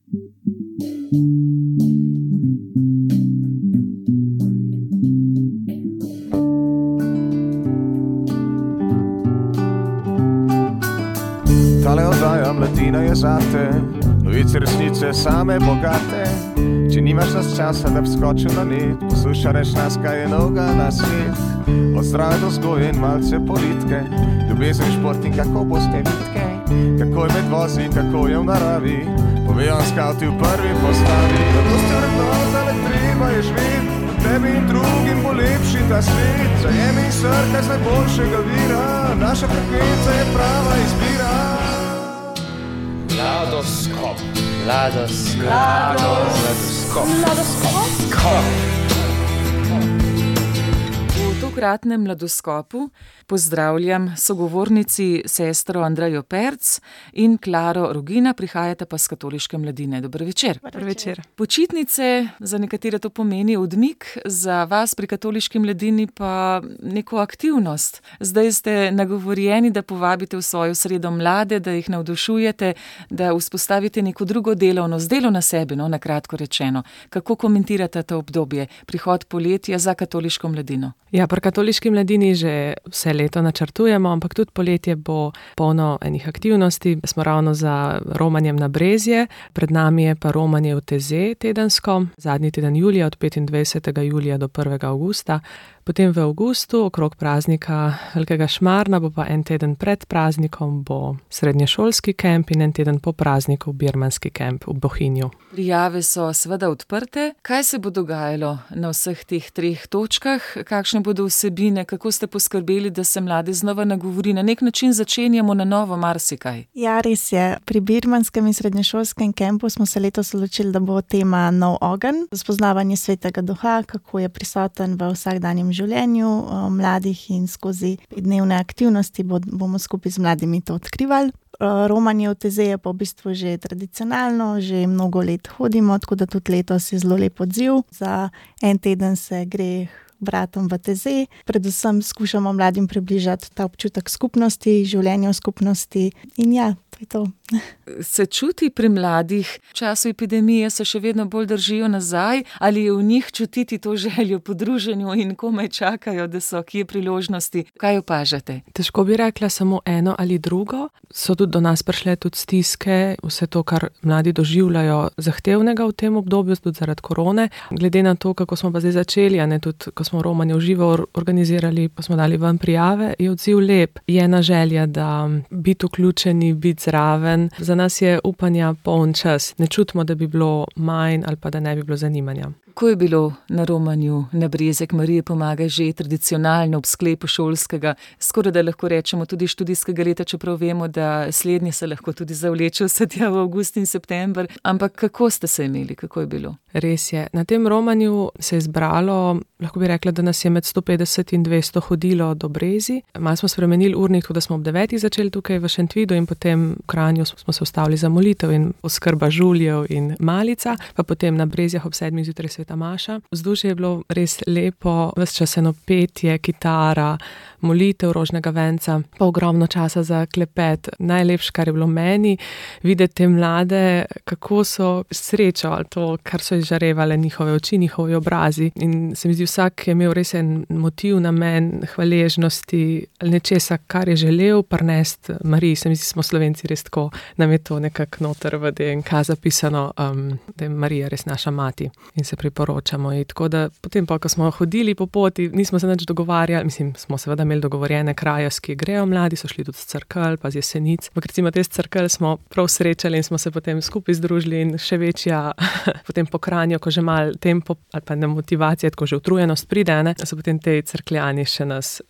Tale oddaja Mladina je zate, novice resnice same bogate. Če nimaš nas časa, da bi skočil na net, poslušaj nas, kaj je novega na svet. Od zdrave do vzgoje in malce politike, ljubezen, šport in kako boste vitke, kako je med vozi, kako je v naravi, povejo skauti v prvi postavi. Zato ste vrednota, le treba je živeti, tebi in drugim bo lepši ta svet. Zajemi in srkaj z najboljšega vira, naša frekvenca je prava izbira. Mladoskop. V tokratnem Mladoskopu pozdravljam sogovornici sestro Andrejo Perc in Klaro Rogina, prihajate pa s Katoliške mladine. Dober večer. Dober večer. Počitnice, za nekatere to pomeni odmik, za vas pri Katoliški mladini pa neko aktivnost. Zdaj ste nagovorjeni, da povabite v svojo sredo mlade, da jih navdušujete, da vzpostavite neko drugo delovnost, delo na sebi, na kratko rečeno. Kako komentirate to obdobje, prihod poletja za Katoliško mladino? Ja, pri Katoliški mladini že vse leto načrtujemo, ampak tudi poletje bo polno enih aktivnosti. Smo ravno za romanjem na Brezje, pred nami je pa romanje v Teze tedensko, zadnji teden julija od 25. julija do 1. avgusta. Potem v avgustu, okrog praznika Velikega Šmarna, bo pa en teden pred praznikom bo srednješolski kemp in en teden po prazniku birmanski kemp v Bohinju. Prijave so seveda odprte. Kaj se bo dogajalo na vseh teh 3 točkah? Kakšne bodo vsebine? Kako ste poskrbeli, da se mlade znova nagovori? Na nek način začenjamo na novo marsikaj. Ja, res je. Pri birmanskem in srednješolskem kempu smo se letos odločili, da bo tema nov ogenj, spoznavanje svetega duha, kako je prisoten v vsakdanjem življenju mladih in skozi dnevne aktivnosti bomo skupaj z mladimi to odkrivali. Romanje v Teze je pa v bistvu že tradicionalno, že mnogo let hodimo, tako da tudi letos je zelo lep odziv. Za en teden se gre bratom v Teze. Predvsem skušamo mladim približati ta občutek skupnosti, življenja v skupnosti in ja, to je to. Se čuti pri mladih, v času epidemije se še vedno bolj držijo nazaj, ali je v njih čutiti to željo po druženju in komaj čakajo, da so kje priložnosti? Kaj opažate? Težko bi rekla samo eno ali drugo. So tudi do nas prišle tudi stiske, vse to, kar mladi doživljajo zahtevnega v tem obdobju, tudi zaradi korone. Glede na to, kako smo pa zdaj začeli, tudi ko smo romanje v živo organizirali, pa smo dali ven prijave, je odziv lep. Je ena želja, da biti vključeni, biti zraven. Za nas je upanja poln čas. Ne čutimo, da bi bilo manj ali pa da ne bi bilo zanimanja. Kako je bilo na romanju na Brezek Marije pomaga že tradicionalno ob sklepu šolskega, skoraj da lahko rečemo tudi študijskega leta, čeprav vemo, da slednje se lahko tudi zavleče vse tja v avgust in september. Ampak kako ste se imeli, kako je bilo? Res je. Na tem romanju se je zbralo, lahko bi rekla, da nas je med 150 in 200 hodilo do Brezi. Malo smo spremenili urnik, tako da smo ob 9. začeli tukaj v Šentvidu in potem v Kranju smo se ustavili za molitev in oskrba žuljev in malica, pa potem na Brezjah ob 7. zjutraj sveta maša. Vzdušje je bilo res lepo, ves čas eno petje, kitara, molitev rožnega venca, pa ogromno časa za klepet. Najlepše, kar je bilo meni, videti te mlade, kako so srečo, to, kar so izžarevale njihove oči, njihovi obrazi. In se mi zdi, vsak je imel res en motiv, namen hvaležnosti, nečesa, kar je želel prinesti Mariji. Se mi zdi, smo Slovenci res tako, nam je to nekako noter v DNK zapisano, da je Marija res naša mati in se priporočamo. In tako da potem pa, ko smo hodili po poti, nismo se nič dogovarjali, smo seveda imeli dogovorjene kraje, s ki grejo mladi, so šli tudi z Cerkelj, pa z Jesenic. Ampak recimo te z Cerkelj smo prav srečali in smo se potem skupaj združili in še večja potem po Kranju, ko že malo tempo ali pa ne motivacija, tako že utrujenost pride, so potem te Cerkljani še nas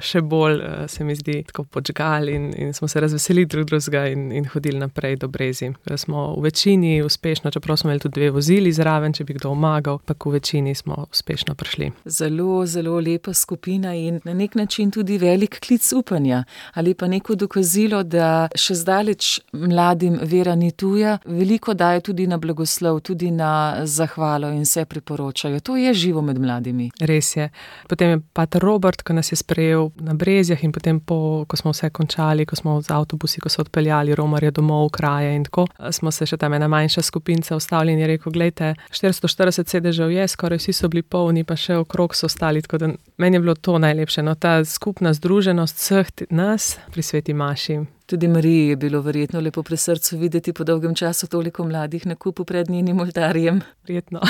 še bolj, se mi zdi, tako podžgali in smo se razveselili drugega in hodili naprej do Brezi. Smo v večini uspešno, čeprav smo imeli tudi 2 vozili zraven, če bi kdo to omagal, pa v večini smo uspešno prišli. Zelo, zelo lepa skupina in na nek način tudi velik klic upanja ali pa neko dokazilo, da še zdaleč mladim vera ni tuja, veliko daje tudi na blagoslov, tudi na zahvalo in se priporočajo. To je živo med mladimi. Res je. Potem je pater Robert, ko nas je sprejel na Brezjah in potem ko smo vse končali, ko smo z avtobusi, ko so odpeljali romarje domov v kraje in tako, smo se še tam ena manjša skupinca ustavili in je rekel, glejte, 440 sedežev je, skoraj vsi so bili polni, pa še okrog so ostali, tako da meni je bilo to najlepše, no, ta skupna združenost vseh nas pri sveti maši. Tudi Mariji je bilo verjetno lepo pri srcu videti po dolgem času toliko mladih na kupu pred njenim oltarjem. Verjetno.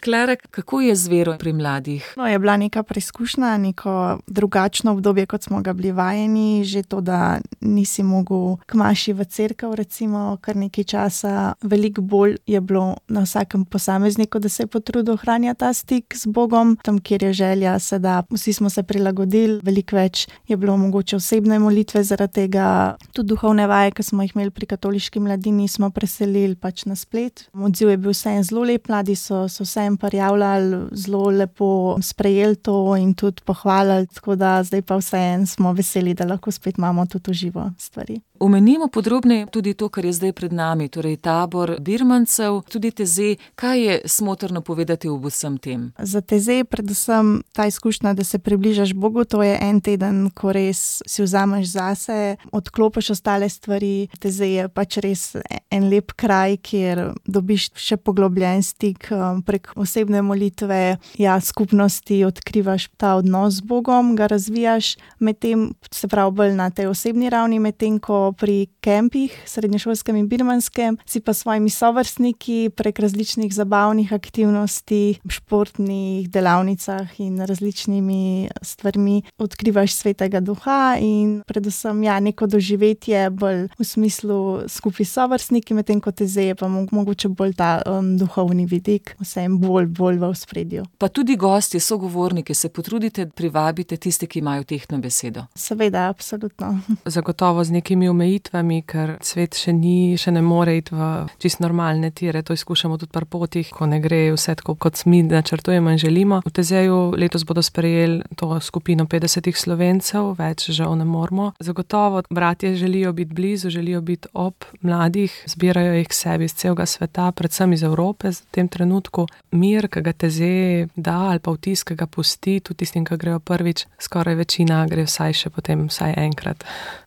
Klara, kako je z vero pri mladih? No, je bila neka preizkušnja, neko drugačno obdobje, kot smo ga bili vajeni, že to, da nisi mogel k maši v cerkev, recimo, kar nekaj časa. Veliko bolj je bilo na vsakem posamezniku, da se je potrudil ohranjati ta stik z Bogom, tam, kjer je želja, se da. Vsi smo se prilagodili, veliko več je bilo mogoče osebne molitve zaradi tega. Tudi duhovne vaje, ki smo jih imeli pri katoliški mladini, smo preselili pač na splet. Odziv je bil vseeno zelo lep, mladi so vseeno prijavljali, zelo lepo sprejeli to in tudi pohvalili, tako da zdaj pa vseeno smo veseli, da lahko spet imamo tudi v živo stvari. Omenimo podrobneje tudi to, kar je zdaj pred nami, torej tabor birmancev, tudi Teze. Kaj je smotrno povedati ob vsem tem? Za Teze predvsem ta izkušnja, da se približaš Bogu, to je en teden, ko res si vzameš zase, odklopiš ostale stvari. Teze je pač res en lep kraj, kjer dobiš še poglobljen stik prek osebne molitve, skupnosti, odkrivaš ta odnos z Bogom, ga razvijaš, medtem se pravi bolj na tej osebni ravni, medtem ko pri kempih, srednješolskem in birmanskem, si pa svojimi sovrstniki prek različnih zabavnih aktivnosti, športnih delavnicah in različnimi stvarmi odkrivaš svetega duha in predvsem neko doživetje bolj v smislu skupaj s sovrstniki, medtem ko Teze je pa mogoče bolj ta duhovni vidik, vsem bolj v ospredju. Pa tudi gosti, sogovorniki, se potrudite, privabite tiste, ki imajo tehtno besedo. Seveda, absolutno. Zagotovo z nekimi omejitvami, ker svet še ne more iti v čist normalne tire. To izkušamo tudi pri potih, ko ne gre vse tako, kot mi načrtujemo in želimo. V Tezeju letos bodo sprejeli to skupino 50 Slovencev, več žal ne moremo. Zagotovo bratje želijo biti blizu, želijo biti ob mladih, zbirajo jih k sebi iz celega sveta, predvsem iz Evrope v tem trenutku. Mir, ki ga Teze da, ali pa vtis, ki ga pusti, tudi tistim, ki grejo prvič, skoraj večina gre vsaj enkrat.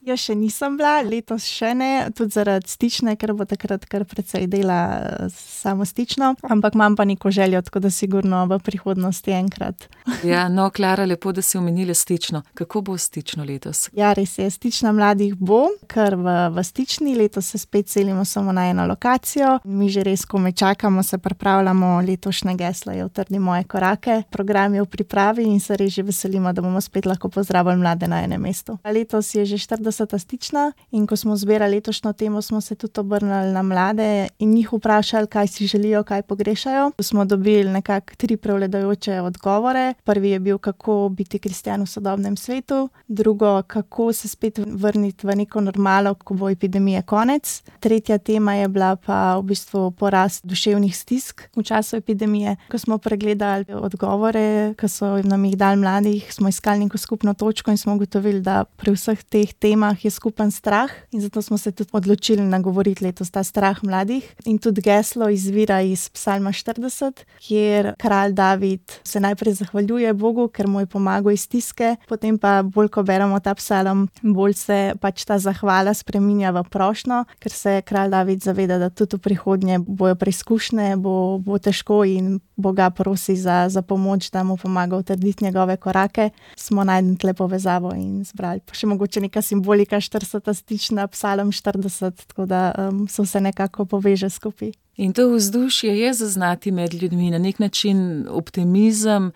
Jaz še nisem bila, letos še ne, tudi zaradi stične, ker bo takrat kar precej dela samo stično, ampak imam pa neko željo, tako da sigurno v prihodnosti enkrat. Ja, no, Klara, lepo, da si omenila stično. Kako bo stično letos? Ja, res je, stična mladih bo, ker v stični letos se spet selimo samo na eno lokacijo. Mi že res komaj čakamo, se pripravljamo, letošnje geslo je Utrdi moje korake. Program je v pripravi in se res že veselimo, da bomo spet lahko pozdravili mlade na enem mestu. Letos je že 40. stična in ko smo zbirali letošnjo temo, smo se tudi obrnili na mlade in njih vprašali, kaj si želijo, kaj pogrešajo. Smo dobili nekako 3 prevladujoče odgovore. Prvi je bil, kako biti kristjan v sodobnem svetu. Drugo, kako se spet vrniti v neko normalo, ko bo epidemije konec. Tretja tema je bila pa v bistvu porast duševnih stisk v času epidemije. Ko smo pregledali odgovore, ki so nam jih dali mladih, smo iskali neko skupno točko in smo ugotovili, da pri vseh teh temah je skupen strah in zato smo se tudi odločili nagovoriti letos ta strah mladih. In tudi geslo izvira iz Psalma 40, kjer kralj David se najprej zahvaljuje Bogu, ker mu je pomagal iz stiske, potem pa bolj, ko beremo ta psalm, bolj se pač ta zahvala spreminja v prošnjo, ker se kralj David zaveda, da tudi v prihodnje bojo preizkušnje, bo težko in Boga prosi za pomoč, da mu pomaga utrditi njegove korake. Smo najdli tle povezavo in zbrali. Pa še mogoče neka simbolika 40. stična, psalm 40, tako da so se nekako poveže skupaj. In to vzdušje je zaznati med ljudmi, na nek način optimizem,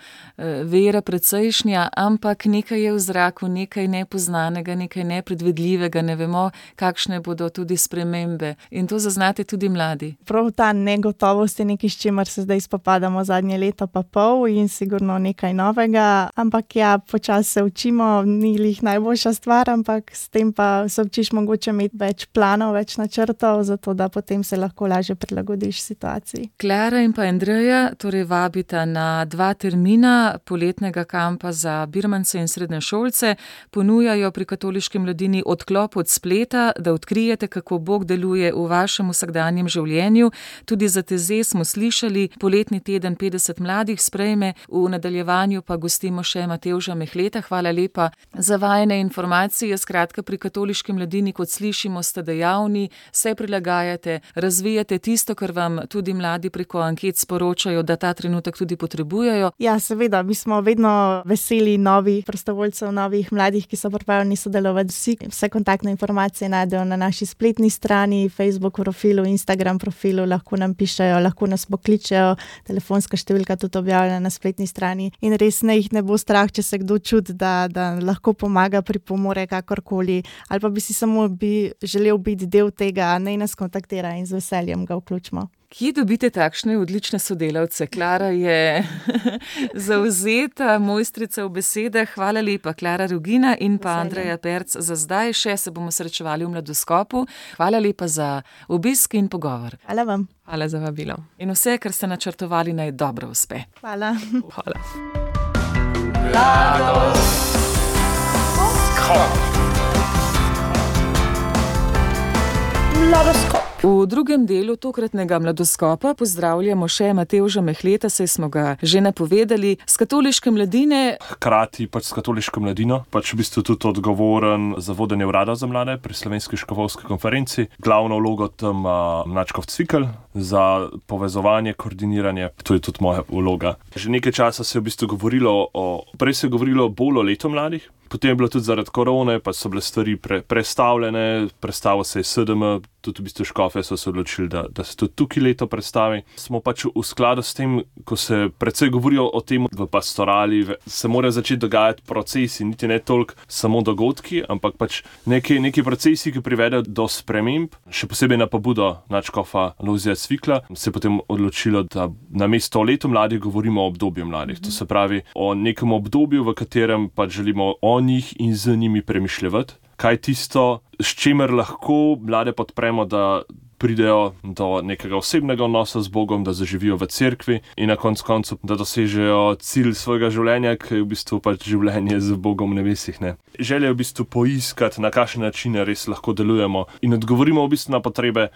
vera precejšnja, ampak nekaj je v zraku, nekaj nepoznanega, nekaj nepredvidljivega, ne vemo, kakšne bodo tudi spremembe. In to zaznate tudi mladi. Prav ta negotovost je nekaj, s čimer se zdaj spopadamo zadnje leto pa pol in sigurno nekaj novega, ampak počasi se učimo, ni lih najboljša stvar, ampak s tem pa se učiš mogoče imeti več planov, več načrtov, zato da potem se lahko lažje prilagodiš prilagodiš situaciji. Klara in pa Andreja torej vabita na 2 termina poletnega kampa za birmance in srednješolce. Ponujajo pri Katoliški mladini odklop od spleta, da odkrijete, kako Bog deluje v vašem vsakdanjem življenju. Tudi za TZ smo slišali, poletni teden 50 mladih sprejme, v nadaljevanju pa gostimo še Matevža Mehleta. Hvala lepa za vajine informacije. Skratka, pri Katoliški mladini, kot slišimo, ste dejavni, se prilagajate, razvijate tisto, kar vam tudi mladi preko anket sporočajo, da ta trenutek tudi potrebujejo. Ja, seveda, mi smo vedno veseli novih prostovoljcev, novih mladih, ki so pripravljeni sodelovati. Vse kontaktne informacije najdejo na naši spletni strani, Facebook profilu, Instagram profilu, lahko nam pišejo, lahko nas pokličejo, telefonska številka tudi objavljena na spletni strani. In res jih ne bo strah, če se kdo čuti, da lahko pomaga, pripomore kakorkoli, ali pa bi si samo želel biti del tega, naj nas kontaktira in z veseljem ga vključimo. Kje dobite takšne odlične sodelavce? Klara je zavzeta mojstrica v besedah. Hvala lepa, Klara Rugina in pa Andreja Perc. Za zdaj še se bomo srečevali v Mladoskopu. Hvala lepa za obisk in pogovor. Hvala vam. Hvala za vabilo. In vse, kar ste načrtovali, naj dobro uspe. Hvala. Hvala. Mladoskop. V drugem delu tokratnega Mladoskopa pozdravljamo še Matevža Mehleta, saj smo ga že napovedali, s Katoliške mladine. Hkrati s Katoliško mladino, v bistvu tudi odgovoren za vodenje urada za mlade pri Slovenski škofovski konferenci. Glavno vlogo tam Mlačkov Cvikl za povezovanje, koordiniranje, to je tudi moja vloga. Že nekaj časa se je v bistvu govorilo prej se je govorilo bolj o letu mladih, potem je bilo tudi zaradi korone, pa so bile stvari prestavljene, predstavil se je SDM, tudi v bistvu škofe so se odločili, da se tudi tukaj leto predstavi. Smo v skladu s tem, ko se predvsej govorijo o tem v pastorali, se morajo začeti dogajati procesi, niti ne toliko samo dogodki, ampak neki procesi, ki privedejo do sprememb, še posebej na pobudo nadškofa Lojzija Cvikla, se je potem odločilo, da namesto o letu mladih govorimo o obdobju mladih. To se pravi o nekem obdobju, v katerem želimo o njih in z njimi premišljati. Kaj tisto, s čimer lahko mlade podpremo, da pridejo do nekega osebnega odnosa z Bogom, da zaživijo v cerkvi in na koncu, da dosežejo cilj svojega življenja, ki je v bistvu življenje z Bogom v nebesih. Ne? Želja je v bistvu poiskati, na kakšne načine res lahko delujemo in odgovorimo v bistvu na potrebe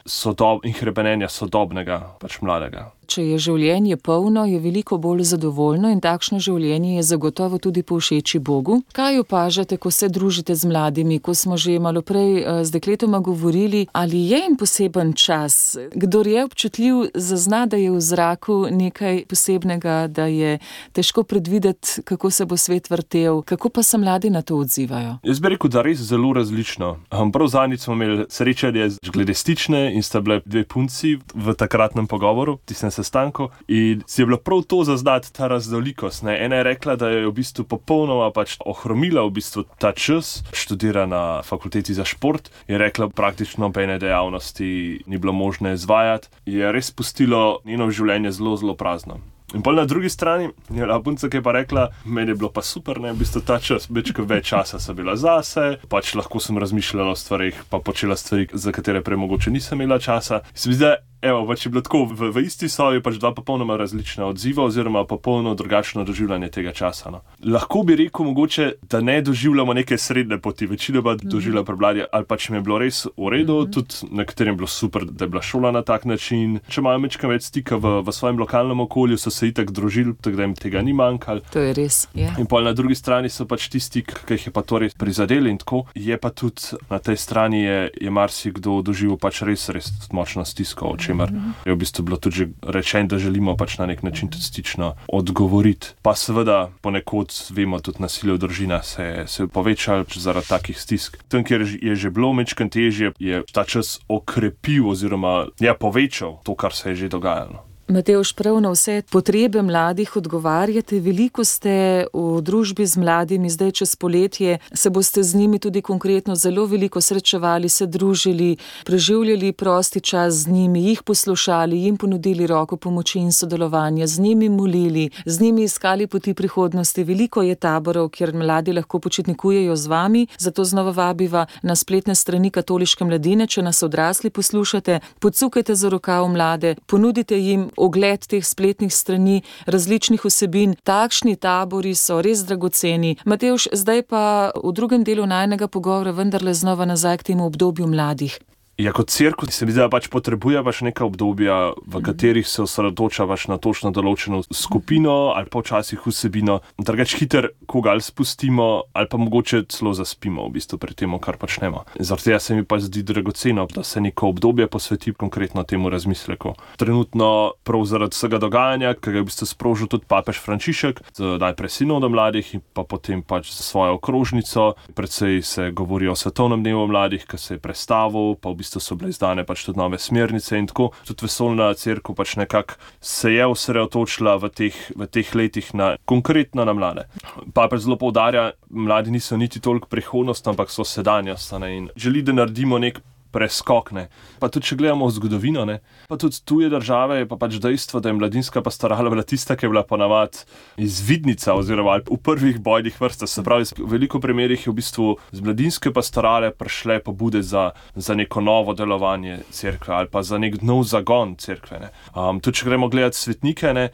in hrepenenja sodobnega mladega. Če je življenje polno, je veliko bolj zadovoljno in takšno življenje je zagotovo tudi povšeči Bogu. Kaj opažate, ko se družite z mladimi, ko smo že malo prej z dekletoma govorili, ali je jim poseben čas? Kdor je občutljiv, zazna, da je v zraku nekaj posebnega, da je težko predvideti, kako se bo svet vrtel. Kako pa se mladi na to odzivajo? Jaz bi rekel, da res zelo različno. Prav zadnjič smo imeli srečanje glede Stične in sta bile 2 punci v takratnem pogovoru, sestanku, in si je bilo prav to zaznati ta raznolikost. Ena je rekla, da je v bistvu popolnoma ohromila v bistvu ta čas, študira na fakulteti za šport, je rekla, praktično nobene dejavnosti ni bilo možno izvajati, je res pustilo njeno življenje zelo, zelo prazno. In na drugi strani je punca, ki je pa rekla, meni je bilo pa super, v bistvu ta čas, več časa sem bila zase, lahko sem razmišljala o stvarih, pa počela stvari, za katere prej mogoče nisem imela časa. Se mi zdi, je bilo tako v isti sobi 2 popolnoma različna odziva oziroma popolno drugačno doživljanje tega časa. No. Lahko bi rekel mogoče, da ne doživljamo neke srednje poti, večinoma doživlja prebladje, ali če mi je bilo res v redu, tudi nekaterim je bilo super, da je bila šola na tak način. Če imajo mečkam več stika v svojem lokalnem okolju, so se itak družili, tako da jim tega ni manjkalo. To je res, ja. In na drugi strani so tisti, ki jih je pa to res prizadeli in tako. Je pa tudi na tej strani je marsikdo doživel res močno stisko, o čemer je v bistvu bilo tudi že rečeno, da želimo na nek način tudi stično odgovoriti. Pa seveda ponekod vemo, tudi nasilje v družinah se je povečalo zaradi takih stisk. Tam, kjer je že bilo mečkam težje, je ta čas okrepil oziroma povečal to, kar se je že dogajalo. Matevž, prav na vse potrebe mladih odgovarjate, veliko ste v družbi z mladimi, zdaj čez poletje se boste z njimi tudi konkretno zelo veliko srečevali, se družili, preživljali prosti čas z njimi, jih poslušali, jim ponudili roko pomoči in sodelovanja, z njimi molili, z njimi iskali poti prihodnosti. Veliko je taborov, kjer mladi lahko počitnikujejo z vami, zato znova vabiva na spletne strani Katoliške mladine, če nas odrasli poslušate, pocukajte za rokav mlade, ponudite jim ogled teh spletnih strani, različnih vsebin. Takšni tabori so res dragoceni. Matevž, zdaj pa v drugem delu najinega pogovora vendarle znova nazaj k temu obdobju mladih. Ja, kot cerkev se mi zdi, da potrebuje neka obdobja, v katerih se osredotoča na točno določeno skupino ali pa včasih vsebino. Drugače hiter koga ali spustimo ali pa mogoče celo zaspimo v bistvu pri tem, kar počnemo. Zaradi tega se mi pa zdi dragoceno, da se neko obdobje posveti konkretno temu razmisleku. Trenutno prav zaradi vsega dogajanja, ki ga je v bistvu sprožil tudi papež Frančišek, najprej sinodom mladih in pa potem za svojo okrožnico. Predvsej se govori o svetovnem dnevu mladih, ki se je prestavil, pa v bistvu so bile izdane tudi nove smernice in tako. Tudi vesoljna cerkev nekako se je osredotočila v teh letih konkretno na mlade. Papež zelo poudarja, mladi niso niti toliko prihodnost, ampak so sedanjost, in želi, da naredimo nek preskok. Pa tudi, če gledamo v zgodovino, pa tudi tuje države, je pa dejstvo, da je mladinska pastorala bila tista, ki je bila ponavadi izvidnica oziroma v prvih bojnih vrstah. Se pravi, v veliko primerih je v bistvu z mladinske pastorale prišle pobude za neko novo delovanje cerkve ali pa za nek nov zagon cerkve. Tudi, če gremo gledati svetnike,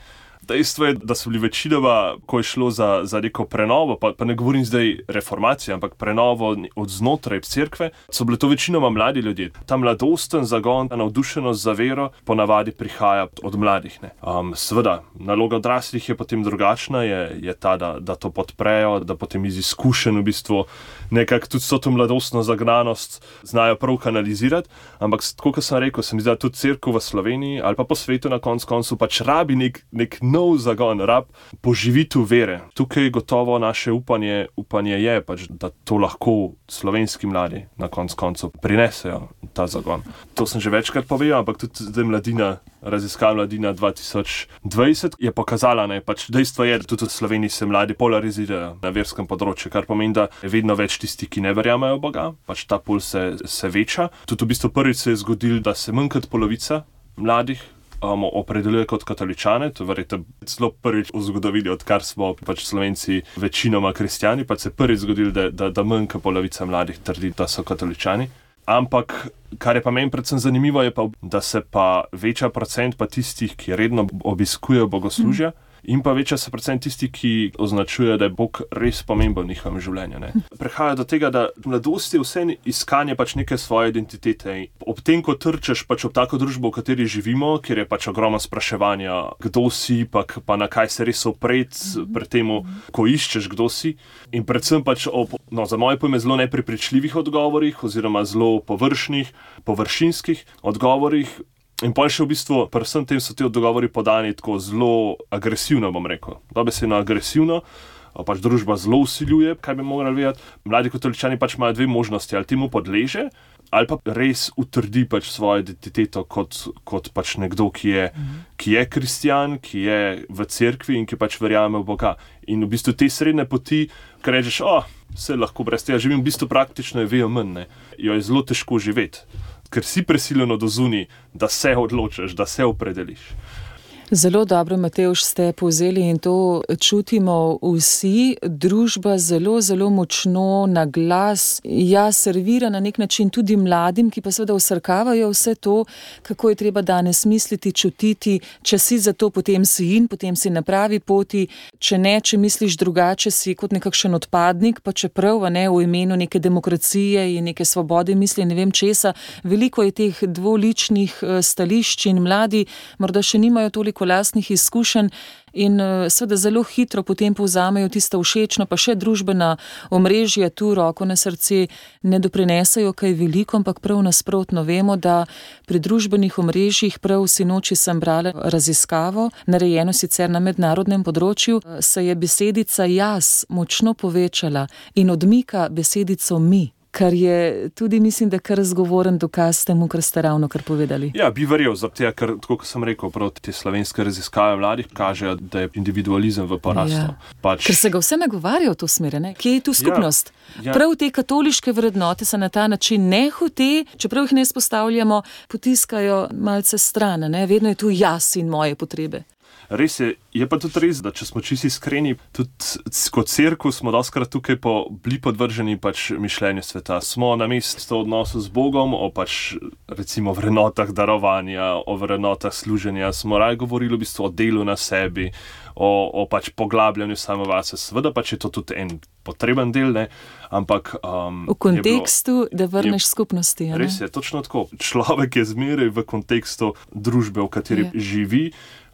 dejstvo je, da so bili večinoma, ko je šlo za neko prenovo, pa ne govorim zdaj reformacije, ampak prenovo od znotraj cerkve, so bile to večinoma mladi ljudje. Ta mladosten zagon, ta navdušenost za vero ponavadi prihaja od mladih. Seveda, naloga odraslih je potem drugačna, je ta, da to podprejo, da potem iz izkušenj v bistvu nekako tudi so to mladostno zagnanost znajo prav kanalizirati, ampak tako, kot sem rekel, se mi zdi, da tudi cerkev v Sloveniji ali pa po svetu na koncu rabi nek nov zagon, poživitev vere. Tukaj gotovo naše upanje je, da to lahko slovenski mladi na koncu prinesejo ta zagon. To sem že večkrat povedal, ampak tudi zdaj raziskava Mladina 2020 je pokazala, dejstvo je, da tudi v Sloveniji se mladi polarizirajo na verskem področju, kar pomeni, da je vedno več tisti, ki ne verjamejo v Boga, ta pol se veča. Tudi v bistvu prvič se je zgodilo, da se manj kot polovica mladih opredeljuje kot katoličane, to je verjetno celo prvič v zgodovini, odkar smo Slovenci večinoma kristjani, se prvič zgodilo, da manj kot polovica mladih trdi, da so katoličani. Ampak, kar je pa meni predvsem zanimivo, je pa, da se pa veča procent pa tistih, ki redno obiskujejo bogoslužja, in pa veča se procent tistih, ki označujejo, da je Bog res pomemben v njihovem življenju. Prehaja do tega, da mladosti je vse iskanje neke svoje identitete. Ob tem, ko trčeš ob tako družbo, v kateri živimo, kjer je ogromno spraševanja, kdo si, pa na kaj se res opreti pri tem, ko iščeš, kdo si. In predvsem za moje pojme zelo neprepričljivih odgovorih oziroma zelo površinskih odgovorih. In pa še v bistvu, predvsem tem so ti odgovori podani tako zelo agresivno, bom rekel. Dobesedno agresivno, družba zelo vsiljuje, kaj bi morali vedeti. Mladi katoličani imajo dve možnosti, ali temu podleže, ali pa res utrdi svojo identiteto kot nekdo, ki je kristjan, ki je v cerkvi in ki verjame v Boga. In v bistvu te srednje poti, kar rečeš, vse lahko brez tega živim, v bistvu praktično je vejo manj, jo je zelo težko živeti. Ker si prisiljeno do zunaj, da se odločiš, da se opredeliš. Zelo dobro, Matevž, ste povzeli in to čutimo vsi. Družba zelo, zelo močno na glas servira na nek način tudi mladim, ki pa seveda vsrkavajo vse to, kako je treba danes misliti, čutiti. Če si za to, potem si na pravi poti. Če ne, če misliš drugače, si kot nekakšen odpadnik, pa čeprav v imenu neke demokracije in neke svobode misli ne vem česa. Veliko je teh dvoličnih stališč in mladi morda še nimajo toliko lastnih izkušenj in seveda zelo hitro potem povzamejo tisto všečno, pa še družbena omrežja tu roko na srce ne doprinesajo kaj veliko, ampak prav nasprotno. Vemo, da pri družbenih omrežjih, prav sinoči sem brala raziskavo, narejeno sicer na mednarodnem področju, se je besedica jaz močno povečala in odmika besedico mi. kar je tudi, mislim, da kar zgovoren dokaz temu, kar ste ravno kar povedali. Ja, bi verjel, zato ker, tako kot sem rekel, te slovenske raziskave mladih kažejo, da je individualizem v porastu. Ker se ga vse nagovarja v to smer, ne? Kje je tu skupnost? Prav te katoliške vrednote se na ta način nehote, čeprav jih ne izpostavljamo, potiskajo malce stran, ne? Vedno je tu jaz in moje potrebe. Res je pa tudi res, da če smo čisto iskreni, tudi kot cerkev smo dostikrat tukaj bili podvrženi mišljenju sveta. Smo na mestu odnosu z Bogom, o recimo vrednotah darovanja, o vrednotah služenja, smo raje govorili v bistvu o delu na sebi, o poglabljanju samovase. Seveda je to tudi en potreben del, ne? Ampak v kontekstu, da vrneš skupnosti. Res je, točno tako. Človek je zmeraj v kontekstu družbe, v kateri živi,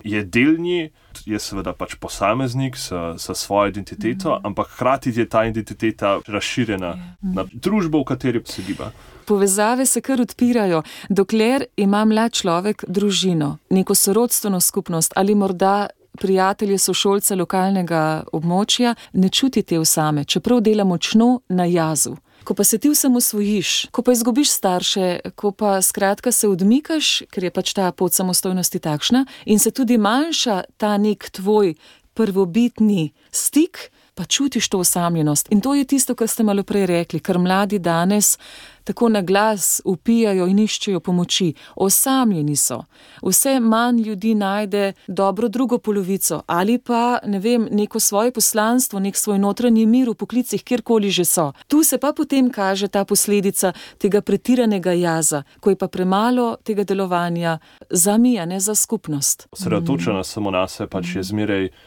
je del nje, je seveda posameznik s svojo identiteto, ampak hkrati je ta identiteta razširjena na družbo, v kateri se giba. Povezave se kar odpirajo, dokler ima mlad človek družino, neko sorodstveno skupnost ali morda prijatelje, sošolce lokalnega območja, ne čuti te osame, čeprav dela močno na jazu. Ko pa se ti vsem osvojiš, ko pa izgubiš starše, ko pa skratka se odmikaš, ker je ta pot samostojnosti takšna in se tudi manjša ta nek tvoj prvobitni stik, pa čutiš to osamljenost. In to je tisto, kar ste malo prej rekli, kar mladi danes tako na glas vpijajo in iščejo pomoči. Osamljeni so. Vse manj ljudi najde dobro drugo polovico ali pa, neko svoje poslanstvo, nek svoj notranji mir v poklicih, kjerkoli že so. Tu se pa potem kaže ta posledica tega pretiranega jaza, ko je pa premalo tega delovanja za mi, a ne za skupnost. Osredotočena samo na se je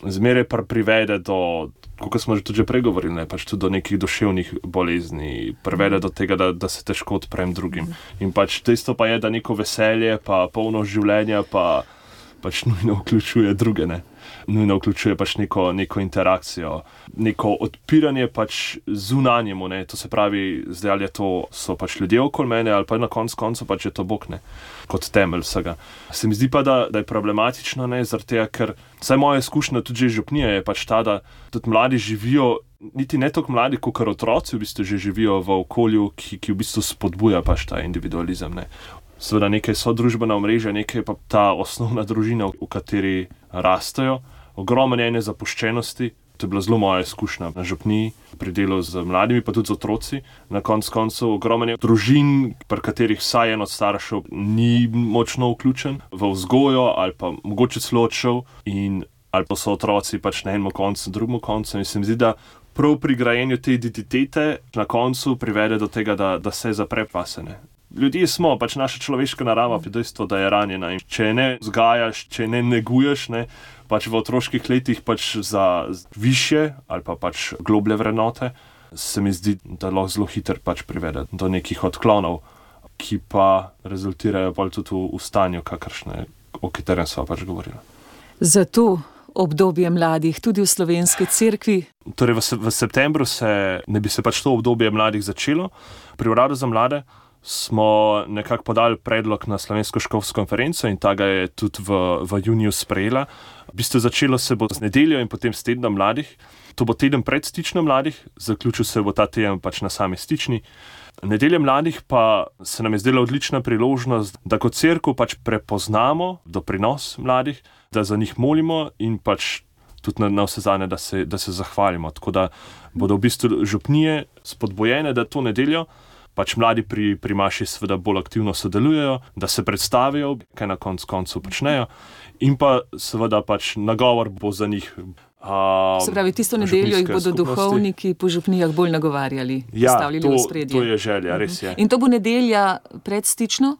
zmeraj privede do, kot smo tudi že pregovorili, tudi do nekih duševnih bolezni, privede do tega, da se težko odprem drugim. In dejstvo pa je, da neko veselje, pa polno življenja, nujno vključuje druge, ne. Nujno vključuje neko interakcijo, neko odpiranje zunanjemu, ne. To se pravi, zdaj ali so ljudje okoli mene, ali pa na koncu je to Bog, ne, kot temelj vsega. Se mi zdi pa, da je problematično, ne, zaradi tega, ker vsaj moja izkušnja tudi že župnije je ta, da tudi mladi živijo, niti ne toliko mladi, kot otroci v bistvu že živijo v okolju, ki v bistvu spodbuja ta individualizem, ne. Seveda nekaj so družbena omrežja, nekaj pa ta osnovna družina, v kateri rastejo. Ogromno ene zapuščenosti, to je bila zelo moja izkušnja na župniji, pri delu z mladimi, pa tudi z otroci. Na koncu ogromno družin, pri katerih vsaj en od staršev ni močno vključen v vzgojo ali pa mogoče celo odšel, ali pa so otroci na enem koncu, drugem koncu. In se mi zdi, da prav pri grajenju te identitete na koncu privede do tega, da se zapre pasene. Ljudje smo, naša človeška narava je dejstvo, da je ranjena. In če ne vzgajaš, če ne neguješ, ne, v otroških letih za višje ali pa globlje vrednote, se mi zdi, da lahko zelo hitro privede do nekih odklonov, ki pa rezultirajo tudi v stanju, o katerem sva govorila. Zato obdobje mladih, tudi v slovenski cerkvi. Torej v septembru ne bi se to obdobje mladih začelo. Pri Uradu za mlade smo nekako podali predlog na Slovensko škofovsko konferenco in ta ga je tudi v juniju sprejela. V bistvu začelo se bo z nedeljo in potem s tednom mladih. To bo teden pred stičnom mladih, zaključil se bo ta teden na sami stični. Nedelja mladih pa se nam je zdela odlična priložnost, da kot cerkev prepoznamo doprinos mladih, da za njih molimo in tudi na vse zadnje, da se zahvalimo. Tako da bodo v bistvu župnije spodbojene, da to nedeljo mladi pri maši seveda bolj aktivno sodelujejo, da se predstavijo, kaj na koncu počnejo, in pa seveda nagovor bo za njih. Se pravi, tisto nedeljo jih bodo duhovniki po župnijah bolj nagovarjali, stavljali v spredje. To je želja, res je. In to bo nedelja predstično?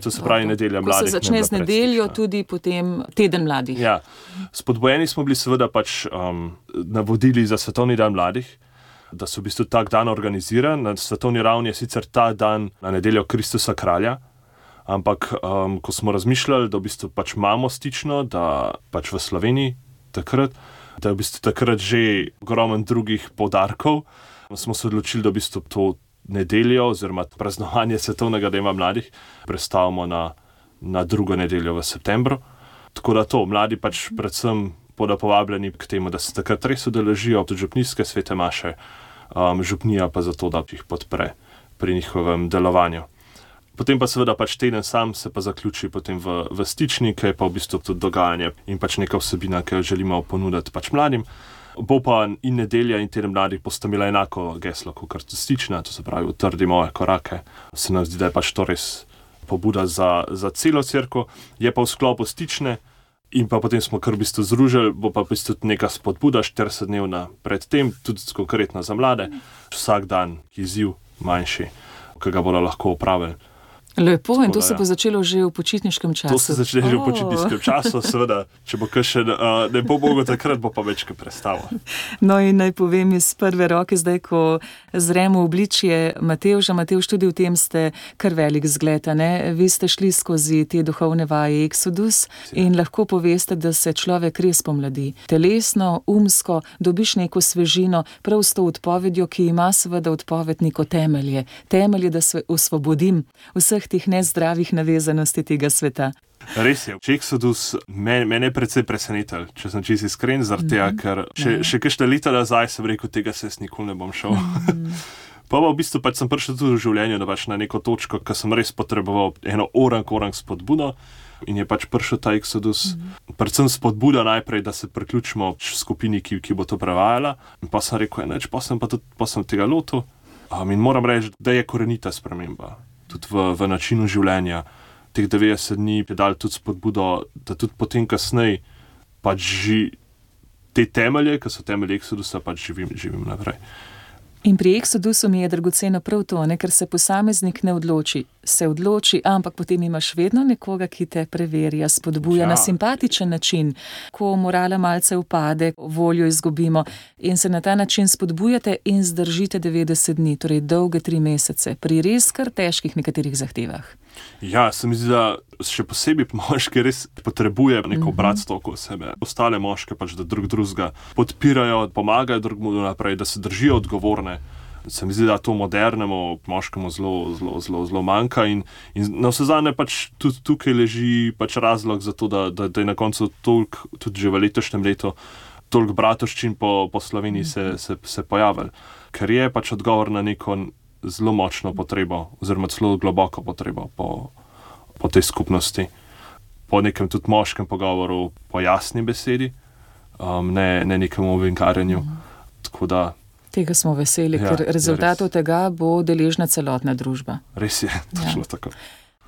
To se pravi nedelja mladih. Ko se začne z nedeljo, tudi potem teden mladih. Ja, spodbojeni smo bili seveda navodili za Svetovni dan mladih, da so v bistvu tak dan organiziran. Na svetovni ravni je sicer ta dan na nedeljo Kristusa kralja, ampak ko smo razmišljali, da v bistvu imamo stično, da v Sloveniji takrat, da je v bistvu takrat že ogromno drugih poudarkov, smo se odločili, da v bistvu to nedeljo oziroma praznovanje svetovnega dneva mladih prestavimo na drugo nedeljo v septembru. Tako da mladi predvsem bodo povabljeni k temu, da se takrat res udeležijo tudi župnijske svete maše, župnija pa zato, da jih podpre pri njihovem delovanju. Potem pa seveda pač teden sam se pa zaključi potem v Stični, ki je pa v bistvu tudi dogajanje in pač neka vsebina, ki jo želimo ponuditi pač mladim. Bo pa in nedelja in teden mladih bosta imela enako geslo kot Stična, to se pravi utrdi moje korake. Se nam zdi, da je pač to res pobuda za celo cerkev, je pa v sklopu Stične in pa potem smo kar v bistvu združili, bo pa v bistvu neka spodbuda 40-dnevna pred tem, tudi konkretno za mlade, vsak dan izziv manjši, ki ga bodo lahko opravili. Lepo, in to se bo začelo že v počitniškem času. To se začne že v počitniškem času, seveda, če bo kakšen, ne bo mogo takrat, bo pa večkrat prestalo. No in naj povem iz prve roke, zdaj, ko zremo obličje Matevža. Matevž, tudi v tem ste kar velik zgled, ne? Vi ste šli skozi te duhovne vaje Exodus in lahko poveste, da se človek res pomladi. Telesno, umsko, dobiš neko svežino, prav s to odpovedjo, ki ima seveda odpoved neko temelje. Temelje, da se osvobodim vseh tih nezdravih navezanosti tega sveta. Res je. Exodus mene je precej presenetil, če sem čisto iskren, zaradi tega, ker še kakšne leta nazaj sem rekel, tega se jaz nikoli ne bom šel. Pa v bistvu pač sem prišel tudi v življenju, da pač na neko točko, ko sem res potreboval eno orang spodbudo in je pač prišel ta Exodus. Predvsem spodbuda najprej, da se priključimo skupini, ki bo to prevajala. In pa sem rekel, pa sem tega lotil. In moram reči, da je korenita sprememba. Tudi v načinu življenja. Teh 90 dni je dal tudi spodbudo, da tudi potem kasneje pač te temelje, ki so temelje Exodusa, pač živim naprej. In pri Exodusu mi je dragoceno prav to, ker se posameznik ne odloči. Se odloči, ampak potem imaš vedno nekoga, ki te preverja, spodbuja na simpatičen način, ko morala malce upade, voljo izgubimo in se na ta način spodbujate in zdržite 90 dni, torej dolge 3 mesece, pri res kar težkih nekaterih zahtevah. Ja, se mi zdi, da še posebej moški res potrebuje neko bratstvo okoli sebe. Ostale moške pač, da drugega podpirajo, pomagajo drugemu naprej, da se držijo odgovorne. Se mi zdi, da to modernemu moškemu zelo manjka in na vse zadnje pač tudi tukaj leži pač razlog za to, da je na koncu toliko, tudi že v letošnjem letu, toliko bratovščin po Sloveniji se pojavili. Ker je pač odgovor na neko zelo močno potrebo, oziroma zelo globoko potrebo po tej skupnosti. Po nekem tudi moškem pogovoru, po jasni besedi, ne nekemu ovinkarjenju. Tako da tega smo veseli, ker rezultatov tega bo deležna celotna družba. Res je, točno tako.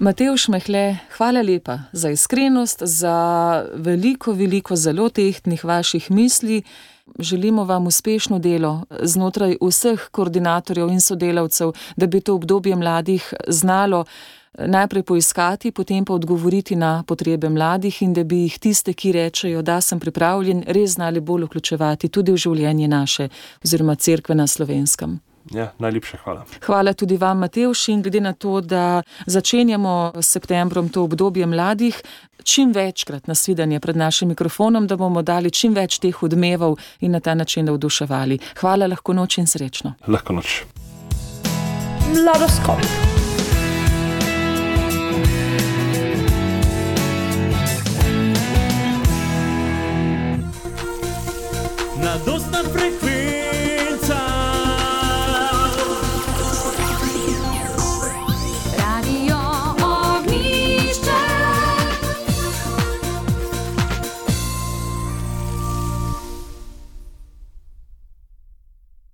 Matevž Mehle, hvala lepa za iskrenost, za veliko zelo tehtnih vaših misli. Želimo vam uspešno delo znotraj vseh koordinatorjev in sodelavcev, da bi to obdobje mladih znalo najprej poiskati, potem pa odgovoriti na potrebe mladih in da bi jih tiste, ki rečejo, da sem pripravljen, res znali bolj vključevati tudi v življenje naše oziroma cerkve na Slovenskem. Ja, najlepša hvala. Hvala tudi vam, Matevž, in glede na to, da začenjamo s septembrom to obdobje mladih, čim večkrat nasvidenje pred našim mikrofonom, da bomo dali čim več teh odmevov in na ta način navduševali. Hvala, lahko noč in srečno. Lahko noč. Mladoskop. Mladostna frekvenca.